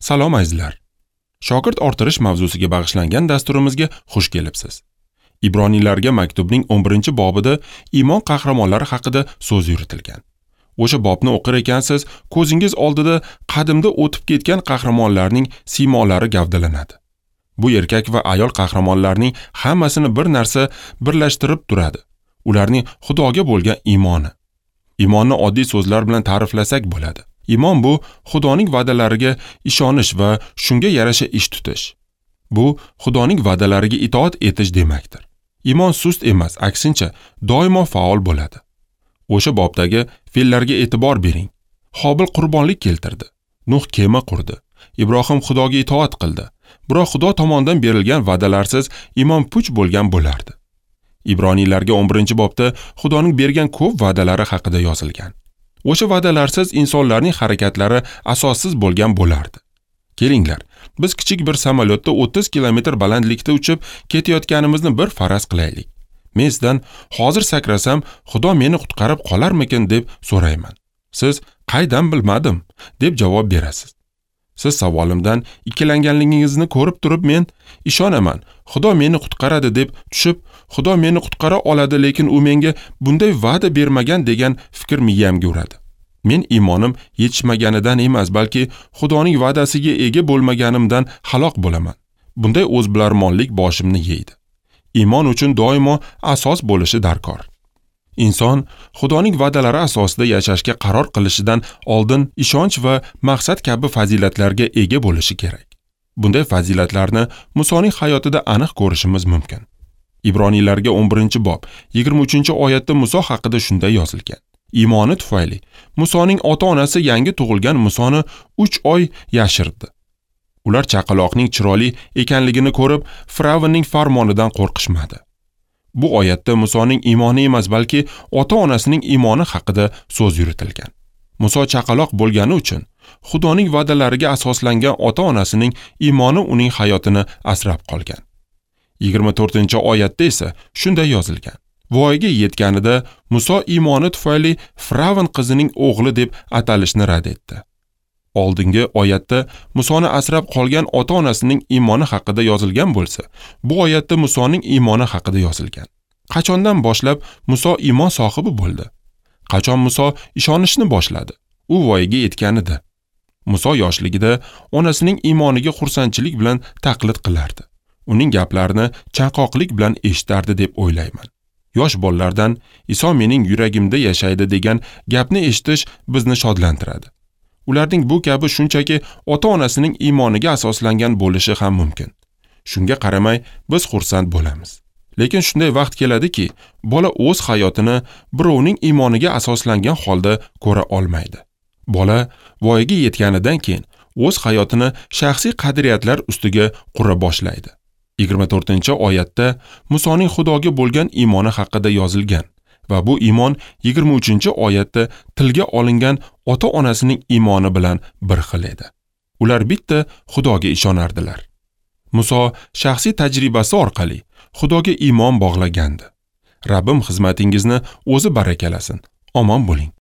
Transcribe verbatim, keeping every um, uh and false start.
Salom azizlar. Shogird orttirish mavzusiga bag'ishlangan dasturimizga xush kelibsiz. Ibroniylarga maktubning o'n birinchi bobida iymon qahramonlari haqida so'z yuritilgan. O'sha bobni o'qir ekansiz, ko'zingiz oldida qadimda o'tib ketgan qahramonlarning siymolari gavdalanadi. Bu erkak va ayol qahramonlarning hammasini bir narsa birlashtirib turadi. Ularning Xudoga bo'lgan iymoni. Iymonni oddiy so'zlar bilan ta'riflasak bo'ladi. Iymon bu Xudoning va'dalariga ishonish va shunga yarasha ish tutish. Bu Xudoning va'dalariga itoat etish demakdir. Iymon sust emas, aksincha doimo faol bo'ladi. O'sha bobdagi fe'llarga e'tibor bering. Hobil qurbonlik keltirdi. Nuh kema qurdi. Ibrohim Xudoga itoat qildi. Biroq Xudo tomonidan berilgan va'dalarsiz iymon puch bo'lgan bo'lardi. Ibroniylarga o'n birinchi bobda Xudoning bergan ko'p va'dalari haqida yozilgan. O'sha va'dalarsiz insonlarning harakatlari asossiz bo'lgan bo'lardi. Kelinglar, biz kichik bir samolyotda o'ttiz kilometr balandlikda uchib ketayotganimizni bir faraz qilaylik. Men sizdan hozir sakrasam, Xudo meni qutqarib qolarmikin deb so'rayman. Siz qaydan bilmadim deb javob berasiz. Siz savolimdan ikkilanganligingizni ko'rib turib men ishonaman, Xudo meni qutqaradi deb tushib, Xudo meni qutqara oladi, lekin u menga bunday va'da bermagan degan fikr miyamga uradi. Men iymonim yetishmaganidan emas, balki Xudoning va'dasiga ega bo'lmaganimdan halok bo'laman. Bunday o'zbilarmonlik boshimni yeydi. Iymon uchun doimo asos bo'lishi darkor. Inson Xudoning va'dalari asosida yashashga qaror qilishidan oldin ishonch va maqsad kabi fazilatlarga ega bo'lishi kerak. Bunday fazilatlarni Musoning hayotida aniq ko'rishimiz mumkin. Ibroniylarga o'n birinchi bob yigirma uchinchi oyatda Muso haqida shunday yozilgan. Iymoni tufayli Musoning ota-onasi yangi tug'ilgan Musoni uch oy yashirdi. Ular chaqaloqning chiroyli ekanligini ko'rib, Firavnning farmonidan qo'rqishmadi. Bu oyatda Musoning iymoni emas, balki ota-onasining iymoni haqida so'z yuritilgan. Muso chaqaloq bo'lgani uchun Xudoning va'dalariga asoslangan ota-onasining iymoni uning hayotini asrab qolgan. yigirma to'rtinchi oyatda esa shunday yozilgan. Voyaga yetganida Muso iymoni tufayli Firavn qizining o'g'li deb atalishni rad etdi. Oldingi oyatda Musoni asrab qolgan ota-onasining iymoni haqida yozilgan bo'lsa, bu oyatda Musoning iymoni haqida yozilgan. Qachondan boshlab Muso iymon sohibi bo'ldi? Qachon Muso ishonishni boshladi? U voyaga yetganida. Muso yoshligida onasining iymoniga xursandchilik bilan taqlid qilardi. Uning gaplarini chanqoqlik bilan eshitardi deb o'ylayman. Yosh bolalardan Iso mening yuragimda yashaydi degan gapni eshitish bizni shodlantiradi. Ularning bu kabi shunchaki ota-onasining iymoniga asoslangan bo'lishi ham mumkin. Shunga qaramay biz xursand bo'lamiz. Lekin shunday vaqt keladiki, bola o'z hayotini birovning iymoniga asoslangan holda ko'ra olmaydi. Bola voyaga yetganidan keyin o'z hayotini shaxsiy qadriyatlar ustiga qura boshlaydi. yigirma to'rtinchi oyatda Musoning Xudoga bo'lgan iymoni haqida yozilgan va bu iymon yigirma uchinchi oyatda tilga olingan ota-onasining iymoni bilan bir xil edi. Ular bitta Xudoga ishonardilar. Muso shaxsiy tajribasi orqali Xudoga iymon bog'lagandi. Rabbim xizmatingizni o'zi barakalasin. Omon bo'ling.